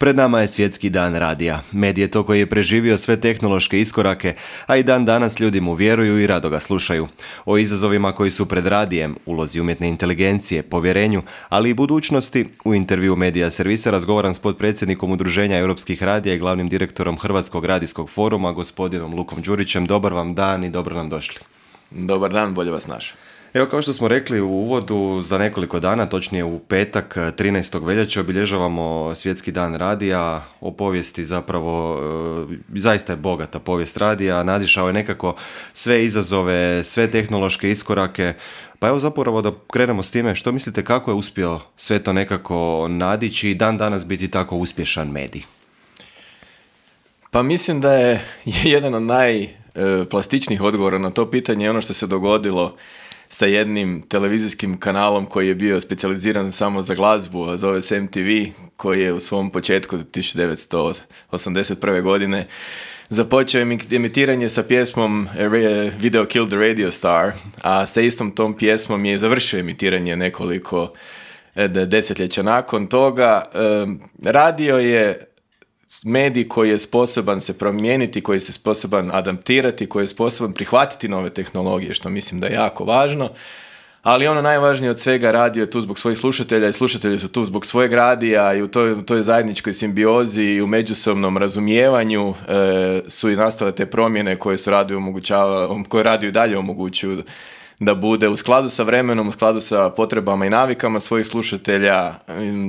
Pred nama je Svjetski dan radija. Medij je to koji je preživio sve tehnološke iskorake, a i dan danas ljudi mu vjeruju i rado ga slušaju. O izazovima koji su pred radijem, ulozi umjetne inteligencije, povjerenju, ali i budućnosti, u intervju Medija servisa razgovaram s potpredsjednikom Udruženja europskih radija i glavnim direktorom Hrvatskog radijskog foruma, gospodinom Lukom Đurićem. Dobar vam dan i dobro nam došli. Dobar dan, bolje vas našao. Evo, kao što smo rekli u uvodu, za nekoliko dana, točnije u petak 13. veljače, obilježavamo Svjetski dan radija. O povijesti zapravo, zaista je bogata povijest radija, nadišao je nekako sve izazove, sve tehnološke iskorake. Pa evo zapravo da krenemo s time, što mislite kako je uspio sve to nekako nadići i dan danas biti tako uspješan medij? Pa mislim da je jedan od najplastičnijih odgovora na to pitanje ono što se dogodilo sa jednim televizijskim kanalom koji je bio specijaliziran samo za glazbu, a zove se MTV, koji je u svom početku 1981. godine započeo emitiranje sa pjesmom Video Killed the Radio Star, a sa istom tom pjesmom je završio emitiranje nekoliko desetljeća nakon toga. Radio je medij koji je sposoban se promijeniti, koji je sposoban adaptirati, koji je sposoban prihvatiti nove tehnologije, što mislim da je jako važno, ali ono najvažnije od svega, radio je tu zbog svojih slušatelja i slušatelji su tu zbog svojeg radija i u toj zajedničkoj simbiozi i u međusobnom razumijevanju su i nastale te promjene koje su koje radio i dalje omogućuju da bude u skladu sa vremenom, u skladu sa potrebama i navikama svojih slušatelja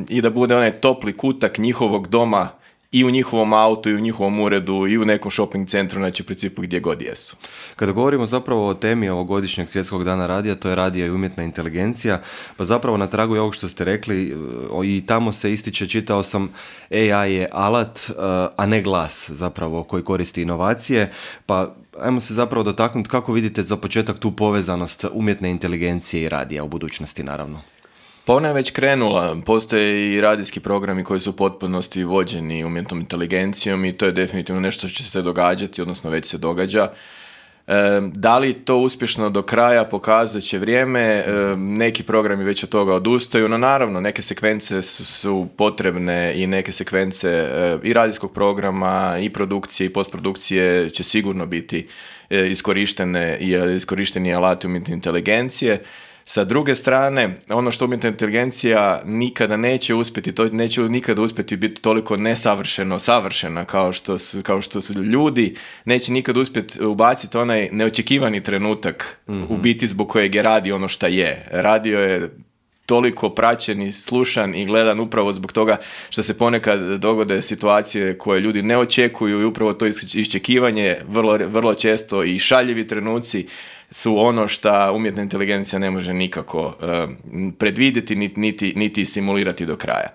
i da bude onaj topli kutak njihovog doma i u njihovom autu, i u njihovom uredu, i u nekom shopping centru, znači u principu gdje god jesu. Kada govorimo zapravo o temi ovogodišnjeg Svjetskog dana radija, to je radija i umjetna inteligencija, pa zapravo na tragu je ovog što ste rekli, i tamo se ističe, čitao sam, AI je alat, a ne glas zapravo koji koristi inovacije, pa ajmo se zapravo dotaknuti kako vidite za početak tu povezanost umjetne inteligencije i radija u budućnosti, naravno. Pa ona je već krenula, postoje i radijski programi koji su u potpunosti vođeni umjetnom inteligencijom i to je definitivno nešto što će se događati, odnosno već se događa. Da li to uspješno do kraja pokazat će vrijeme, neki programi već od toga odustaju, no naravno neke sekvence su potrebne i neke sekvence i radijskog programa i produkcije i postprodukcije će sigurno biti iskorišteni alati umjetne inteligencije. Sa druge strane, ono što umjetna inteligencija nikada neće uspjeti, to neće nikada uspjeti biti toliko savršena kao što su ljudi, neće nikada uspjeti ubaciti onaj neočekivani trenutak u biti zbog kojeg je radio ono što je. Radio je toliko praćen i slušan i gledan upravo zbog toga što se ponekad dogode situacije koje ljudi ne očekuju i upravo to iščekivanje vrlo često i šaljivi trenuci su ono što umjetna inteligencija ne može nikako predvidjeti niti simulirati do kraja.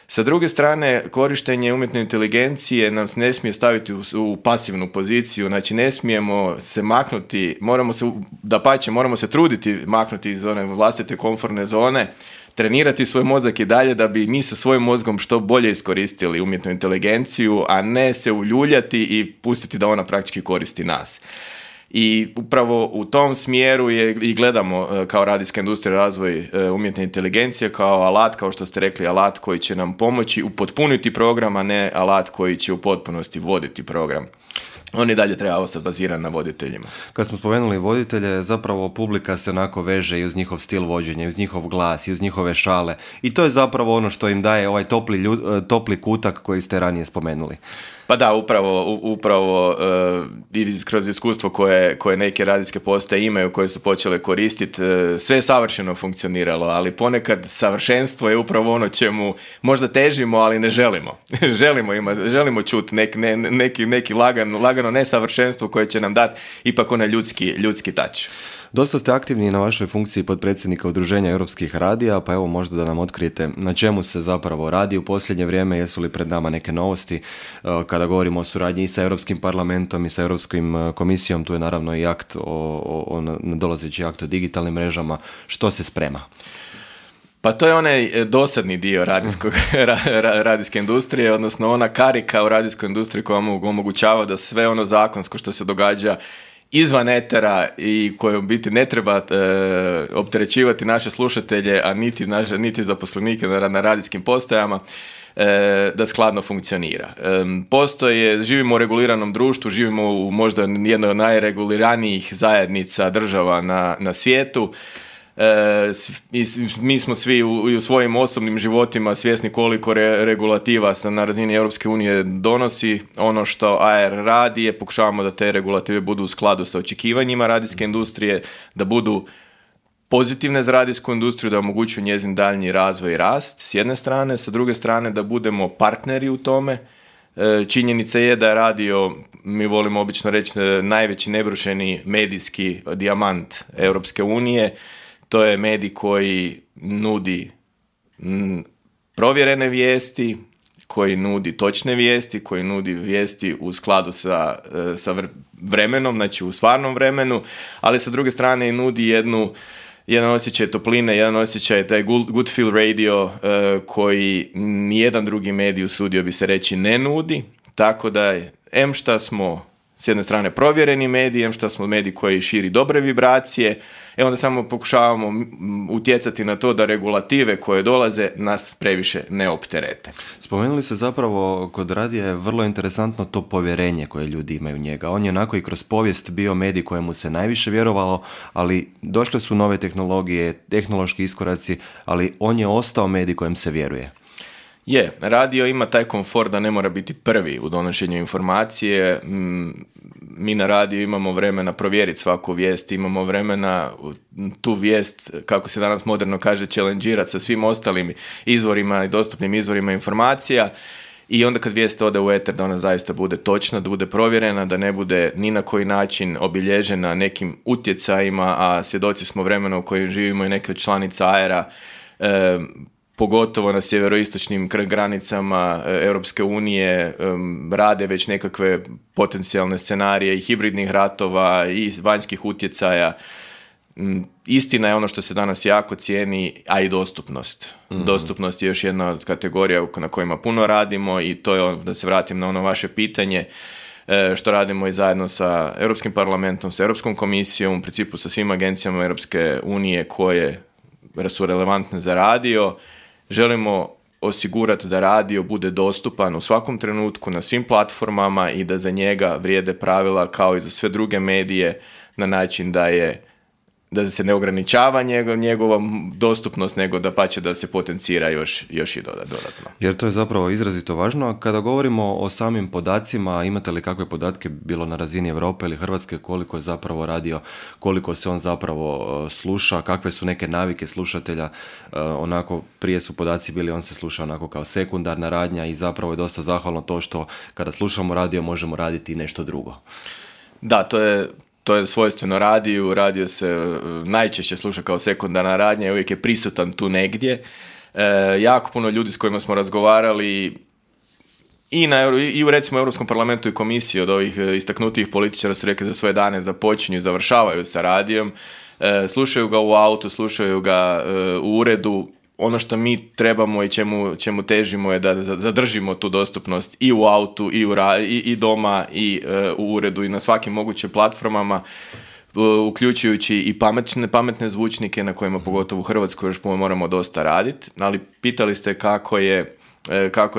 Sa druge strane, korištenje umjetne inteligencije nam ne smije staviti u pasivnu poziciju, znači ne smijemo se maknuti, moramo se truditi maknuti iz one vlastite komfortne zone, trenirati svoj mozak i dalje da bi mi sa svojim mozgom što bolje iskoristili umjetnu inteligenciju, a ne se uljuljati i pustiti da ona praktički koristi nas. I upravo u tom smjeru i gledamo kao radijska industrija razvoj umjetne inteligencije kao alat, kao što ste rekli, alat koji će nam pomoći upotpuniti program, a ne alat koji će u potpunosti voditi program. On i dalje treba ostati baziran na voditeljima. Kad smo spomenuli voditelje, zapravo publika se onako veže i uz njihov stil vođenja, i uz njihov glas, i uz njihove šale. I to je zapravo ono što im daje ovaj topli kutak koji ste ranije spomenuli. Pa da, upravo kroz iskustvo koje neke radijske postaje imaju, koje su počele koristiti, sve je savršeno funkcioniralo, ali ponekad savršenstvo je upravo ono čemu možda težimo, ali ne želimo. želimo čuti neki lagano nesavršenstvo koje će nam dati ipak onaj ljudski touch. Dosta ste aktivni na vašoj funkciji potpredsjednika Udruženja europskih radija, pa evo možda da nam otkrijete na čemu se zapravo radi u posljednje vrijeme, jesu li pred nama neke novosti kada govorimo o suradnji i sa Europskim parlamentom i sa Europskom komisijom, tu je naravno i akt nadolazeći akt o digitalnim mrežama, što se sprema? Pa to je onaj dosadni dio radijske industrije, odnosno ona karika u radijskoj industriji koja omogućava da sve ono zakonsko što se događa izvan etera i koje u biti ne treba opterećivati naše slušatelje, a niti zaposlenike na radijskim postajama, da skladno funkcionira. Živimo u reguliranom društvu, živimo u možda jednoj od najreguliranijih zajednica država na svijetu. Mi smo svi u svojim osobnim životima svjesni koliko regulativa na razini Europske unije donosi. Ono što AR radi je pokušavamo da te regulative budu u skladu sa očekivanjima radijske industrije, da budu pozitivne za radijsku industriju, da omogućuju njezin daljnji razvoj i rast s jedne strane, sa druge strane da budemo partneri u tome. Činjenica je da je radio, mi volimo obično reći, najveći nebrušeni medijski dijamant Europske unije. To je medij koji nudi provjerene vijesti, koji nudi točne vijesti, koji nudi vijesti u skladu sa vremenom, znači u stvarnom vremenu, ali sa druge strane i nudi jedan osjećaj topline, jedan osjećaj, taj good feel radio koji nijedan drugi medij, usudio bi se reći, ne nudi. Tako da, šta smo s jedne strane provjereni medij, što smo medij koji širi dobre vibracije, onda samo pokušavamo utjecati na to da regulative koje dolaze nas previše ne opterete. Spomenuli se zapravo kod radija je vrlo interesantno to povjerenje koje ljudi imaju u njega. On je onako i kroz povijest bio medij kojemu se najviše vjerovalo, ali došle su nove tehnologije, tehnološki iskoraci, ali on je ostao medij kojem se vjeruje. Radio ima taj komfort da ne mora biti prvi u donošenju informacije. Mi na radiju imamo vremena provjeriti svaku vijest, imamo vremena tu vijest, kako se danas moderno kaže, challengeirati sa svim ostalim izvorima i dostupnim izvorima informacija. I onda kad vijest ode u eter, da ona zaista bude točna, da bude provjerena, da ne bude ni na koji način obilježena nekim utjecajima, a svjedoci smo vremena u kojem živimo i neke od članica AR-a, pogotovo na sjeveroistočnim granicama Europske unije, rade već nekakve potencijalne scenarije i hibridnih ratova i vanjskih utjecaja. Istina je ono što se danas jako cijeni, a i dostupnost. Mm-hmm. Dostupnost je još jedna od kategorija na kojima puno radimo i to je, da se vratim na ono vaše pitanje, što radimo i zajedno sa Europskim parlamentom, sa Europskom komisijom, u principu sa svim agencijama Europske unije koje su relevantne za radio. Želimo osigurati da radio bude dostupan u svakom trenutku na svim platformama i da za njega vrijede pravila kao i za sve druge medije na način da se ne ograničava njegova dostupnost, nego da pače da se potencira još i dodatno. Jer to je zapravo izrazito važno. Kada govorimo o samim podacima, imate li kakve podatke bilo na razini Europe ili Hrvatske, koliko je zapravo radio, koliko se on zapravo sluša, kakve su neke navike slušatelja, onako prije su podaci bili, on se sluša onako kao sekundarna radnja i zapravo je dosta zahvalno to što kada slušamo radio možemo raditi nešto drugo. Da, to je svojstveno radiju. Radio se najčešće sluša kao sekundarna radnja i uvijek je prisutan tu negdje. Jako puno ljudi s kojima smo razgovarali i u recimo Europskom parlamentu i komisiji od ovih istaknutijih političara su rekli da svoje dane započinju i završavaju sa radijom. Slušaju ga u autu, slušaju ga u uredu. Ono što mi trebamo i čemu težimo je da zadržimo tu dostupnost i u autu, i doma, i u uredu, i na svakim mogućim platformama, uključujući i pametne zvučnike na kojima pogotovo u Hrvatskoj još moramo dosta raditi. Ali pitali ste kako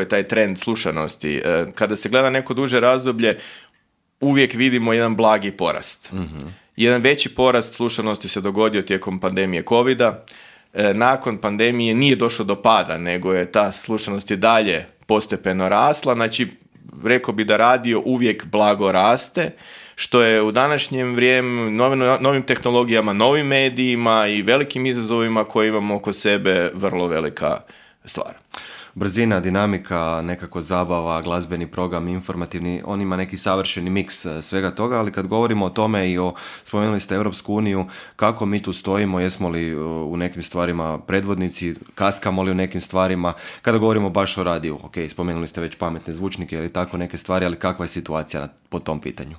je taj trend slušanosti. Kada se gleda neko duže razdoblje, uvijek vidimo jedan blagi porast. Mm-hmm. Jedan veći porast slušanosti se dogodio tijekom pandemije covida. Nakon pandemije nije došlo do pada, nego je ta slušanost i dalje postepeno rasla. Znači, rekao bi da radio uvijek blago raste, što je u današnjem vrijeme novim tehnologijama, novim medijima i velikim izazovima koje imamo oko sebe vrlo velika stvar. Brzina, dinamika, nekako zabava, glazbeni program, informativni, on ima neki savršeni miks svega toga, ali kad govorimo o tome i spomenuli ste Europsku uniju, kako mi tu stojimo, jesmo li u nekim stvarima predvodnici, kaskamo li u nekim stvarima, kada govorimo baš o radiju, ok, spomenuli ste već pametne zvučnike ili tako neke stvari, ali kakva je situacija po tom pitanju?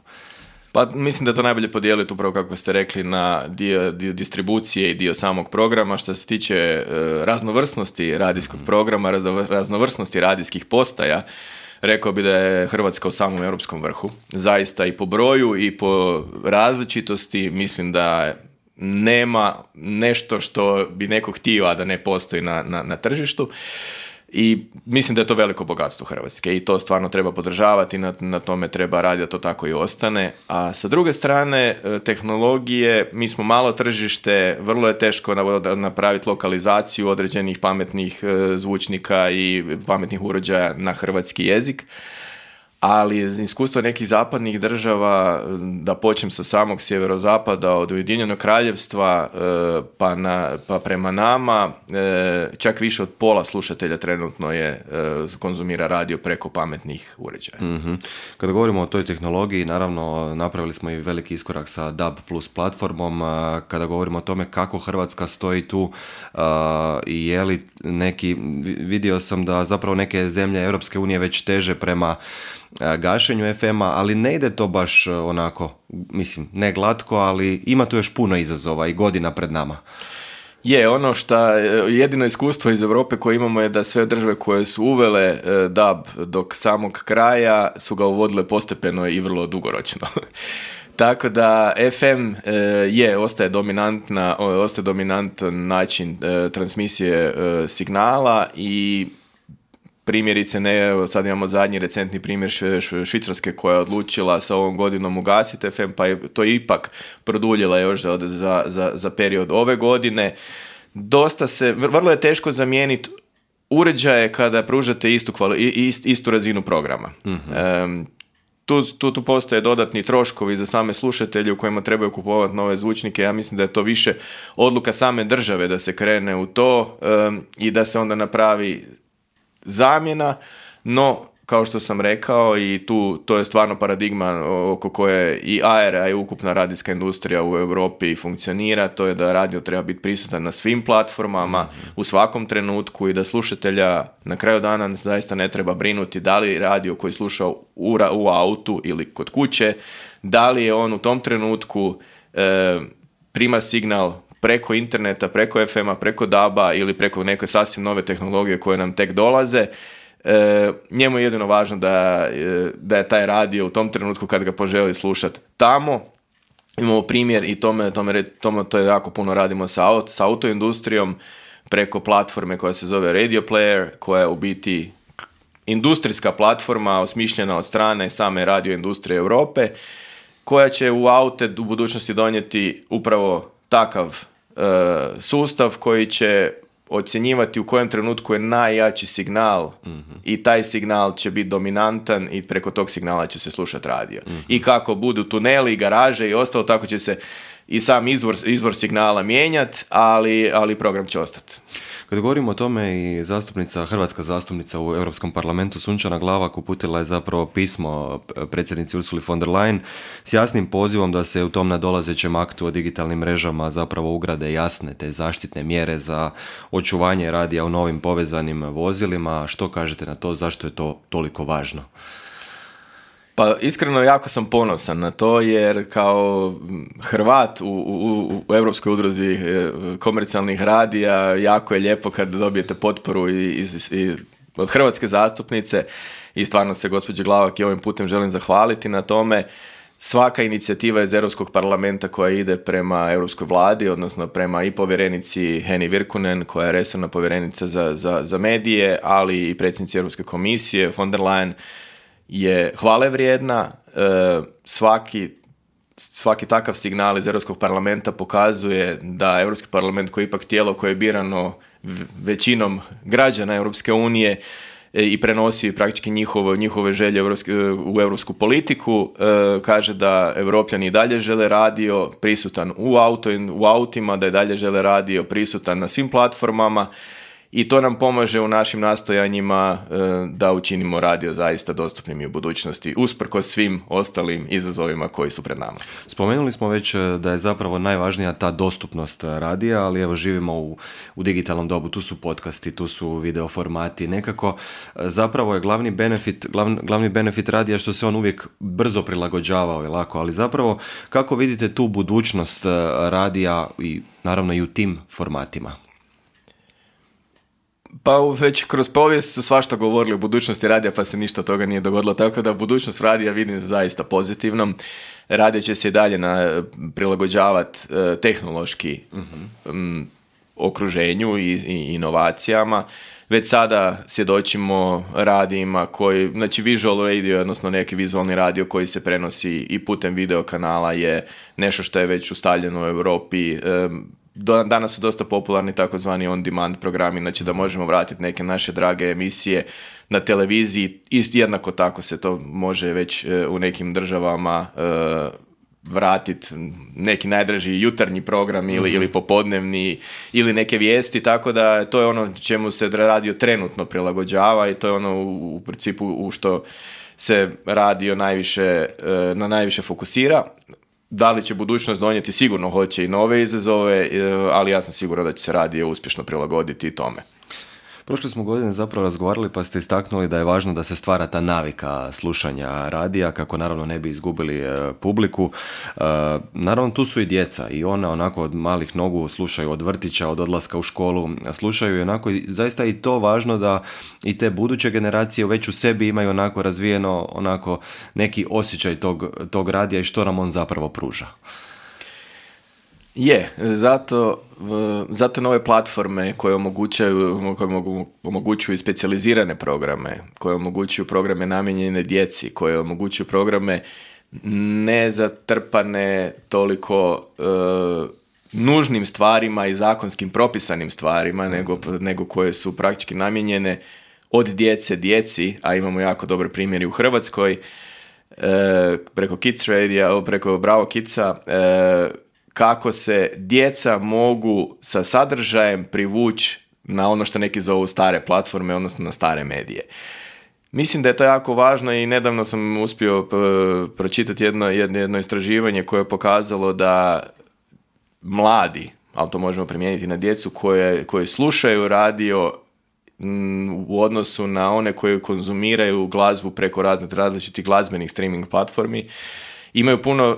Pa mislim da to najbolje podijeliti upravo kako ste rekli na dio distribucije i dio samog programa. Što se tiče raznovrsnosti radijskog programa, raznovrsnosti radijskih postaja, rekao bi da je Hrvatska u samom europskom vrhu. Zaista i po broju i po različitosti mislim da nema nešto što bi neko htio, a da ne postoji na tržištu. I mislim da je to veliko bogatstvo Hrvatske i to stvarno treba podržavati, na tome treba raditi da to tako i ostane. A sa druge strane, tehnologije, mi smo malo tržište, vrlo je teško napraviti lokalizaciju određenih pametnih zvučnika i pametnih uređaja na hrvatski jezik. Ali iz iskustva nekih zapadnih država, da počnem sa samog sjeverozapada, od Ujedinjenog Kraljevstva pa prema nama, čak više od pola slušatelja trenutno konzumira radio preko pametnih uređaja. Mm-hmm. Kada govorimo o toj tehnologiji, naravno napravili smo i veliki iskorak sa DAB+ platformom. Kada govorimo o tome kako Hrvatska stoji tu i je li vidio sam da zapravo neke zemlje Europske unije već teže prema gašenju FM-a, ali ne ide to baš onako, mislim, ne glatko, ali ima tu još puno izazova i godina pred nama. Ono što jedino iskustvo iz Europe koje imamo je da sve države koje su uvele DAB dok samog kraja su ga uvodile postepeno i vrlo dugoročno. Tako da FM ostaje dominantan način transmisije signala i primjerice, sad imamo zadnji recentni primjer Švicarske koja je odlučila sa ovom godinom ugasiti FM, pa je to ipak produljila još za period ove godine. Vrlo je teško zamijeniti uređaje kada pružate istu razinu programa. Mm-hmm. Tu postoje dodatni troškovi za same slušatelje u kojima trebaju kupovati nove zvučnike. Ja mislim da je to više odluka same države da se krene u to i da se onda napravi zamjena, no kao što sam rekao i to je stvarno paradigma oko koje i ARA i ukupna radijska industrija u Europi funkcionira, to je da radio treba biti prisutan na svim platformama u svakom trenutku i da slušatelja na kraju dana zaista ne treba brinuti da li radio koji sluša u autu ili kod kuće, da li je on u tom trenutku prima signal preko interneta, preko FM-a, preko DAB-a ili preko neke sasvim nove tehnologije koje nam tek dolaze. Njemu je jedino važno da je taj radio u tom trenutku kad ga poželi slušati tamo. Imamo primjer i to je jako puno radimo sa autoindustrijom preko platforme koja se zove Radio Player, koja je u biti industrijska platforma osmišljena od strane same radio industrije Europe, koja će u aute u budućnosti donijeti upravo takav sustav koji će ocjenjivati u kojem trenutku je najjači signal i taj signal će biti dominantan i preko tog signala će se slušati radio. I kako budu tuneli, garaže i ostalo, tako će se i sam izvor signala mijenjati, ali program će ostati. Kad govorimo o tome i hrvatska zastupnica u Europskom parlamentu Sunčana Glavak uputila je zapravo pismo predsjednici Ursuli von der Leyen s jasnim pozivom da se u tom nadolazećem aktu o digitalnim mrežama zapravo ugrade jasne te zaštitne mjere za očuvanje radija u novim povezanim vozilima. Što kažete na to? Zašto je to toliko važno? Pa iskreno jako sam ponosan na to jer kao Hrvat u Europskoj udruzi komercijalnih radija jako je lijepo kad dobijete potporu i od hrvatske zastupnice i stvarno se gospođi Glavak i ovim putem želim zahvaliti na tome. Svaka inicijativa iz Europskog parlamenta koja ide prema Europskoj vladi, odnosno prema i povjerenici Heni Virkunen, koja je resorna povjerenica za medije, ali i predsjednici Europske komisije von der Leyen, je hvale vrijedna. Svaki takav signal iz Europskog parlamenta pokazuje da Europski parlament, koji je ipak tijelo koje je birano većinom građana Europske unije i prenosi praktički njihove želje u europsku politiku, kaže da Europljani i dalje žele radio prisutan u autima, da i dalje žele radio prisutan na svim platformama. I to nam pomaže u našim nastojanjima da učinimo radio zaista dostupnim i u budućnosti, usprkos svim ostalim izazovima koji su pred nama. Spomenuli smo već da je zapravo najvažnija ta dostupnost radija, ali evo živimo u digitalnom dobu, tu su podcasti, tu su video formati, nekako zapravo je glavni benefit radija što se on uvijek brzo prilagođavao i lako, ali zapravo kako vidite tu budućnost radija i naravno i u tim formatima? Pa već kroz povijest su svašta govorili o budućnosti radija, pa se ništa toga nije dogodilo, tako da budućnost radija vidim zaista pozitivnom. Radio će se i dalje prilagođavati tehnološki okruženju i inovacijama. već sada svjedočimo radijima koji, znači visual radio, odnosno neki vizualni radio koji se prenosi i putem video kanala je nešto što je već ustaljeno u Europi. Danas su dosta popularni takozvani on-demand programi, znači da možemo vratiti neke naše drage emisije na televiziji. Jednako tako se to može već u nekim državama vratiti, neki najdraži jutarnji program ili popodnevni ili neke vijesti, tako da to je ono čemu se radio trenutno prilagođava i to je ono u principu u što se radio na najviše fokusira. Da li će budućnost donijeti? Sigurno hoće i nove izazove, ali ja sam siguran da će se radio uspješno prilagoditi i tome. Prošle smo godine zapravo razgovarali pa ste istaknuli da je važno da se stvara ta navika slušanja radija kako naravno ne bi izgubili publiku. Naravno tu su i djeca i ona onako od malih nogu slušaju od vrtića, od odlaska u školu, slušaju i onako zaista i to važno da i te buduće generacije već u sebi imaju onako razvijeno onako neki osjećaj tog radija i što nam on zapravo pruža. Zato nove platforme koje omogućuju specijalizirane programe, koje omogućuju programe namijenjene djeci, koje omogućuju programe nezatrpane toliko nužnim stvarima i zakonskim propisanim stvarima, nego koje su praktički namijenjene od djeci, a imamo jako dobre primjeri u Hrvatskoj, preko Kids Radio, preko Bravo Kidsa, kako se djeca mogu sa sadržajem privući na ono što neki zovu stare platforme, odnosno na stare medije. Mislim da je to jako važno i nedavno sam uspio pročitati jedno istraživanje koje je pokazalo da mladi, ali to možemo primijeniti na djecu koje slušaju radio u odnosu na one koji konzumiraju glazbu preko različitih glazbenih streaming platformi, imaju puno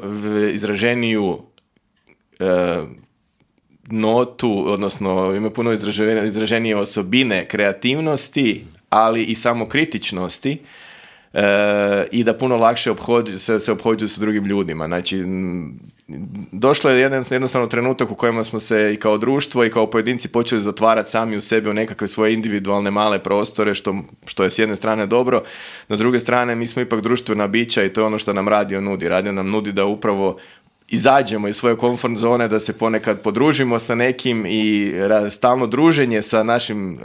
izraženiju notu, odnosno ima puno izraženije osobine kreativnosti, ali i samokritičnosti i da puno lakše se ophođuju sa drugim ljudima. Znači, došlo je jednostavno trenutak u kojem smo se i kao društvo i kao pojedinci počeli zatvarati sami u sebi u nekakve svoje individualne male prostore, što je s jedne strane dobro, no s druge strane mi smo ipak društvena bića i to je ono što nam radio nudi. Radio nam nudi da upravo izađemo iz svoje komfort zone, da se ponekad podružimo sa nekim i stalno druženje sa našim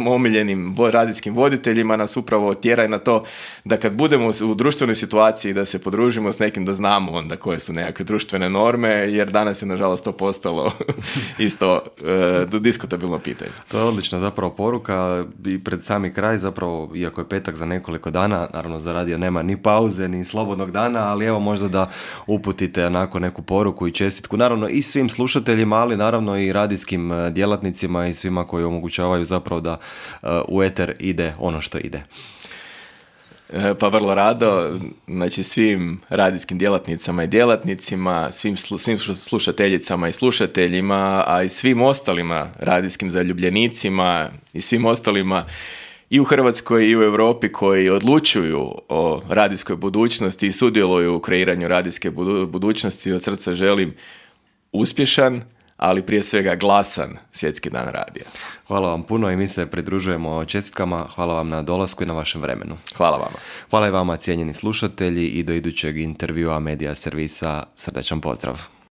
omiljenim radijskim voditeljima nas upravo tjera na to da kad budemo u društvenoj situaciji da se podružimo s nekim, da znamo onda koje su nekakve društvene norme, jer danas je nažalost to postalo isto diskutabilno pitanje. To je odlična zapravo poruka i pred sami kraj zapravo, iako je petak za nekoliko dana, naravno za radio nema ni pauze, ni slobodnog dana, ali evo možda da uputite onako neku poruku i čestitku, naravno i svim slušateljima, ali naravno i radijskim djelatnicima i svima koji omogućavaju zapravo da u eter ide ono što ide. Pa vrlo rado, znači svim radijskim djelatnicama i djelatnicima, svim slušateljicama i slušateljima, a i svim ostalima radijskim zaljubljenicima i svim ostalima i u Hrvatskoj i u Europi koji odlučuju o radijskoj budućnosti i sudjeluju u kreiranju radijske budućnosti. Od srca želim uspješan, ali prije svega glasan Svjetski dan radija. Hvala vam puno i mi se pridružujemo čestitkama. Hvala vam na dolasku i na vašem vremenu. Hvala vama. Hvala i vama, cijenjeni slušatelji, i do idućeg intervjua Medija servisa srdačan pozdrav.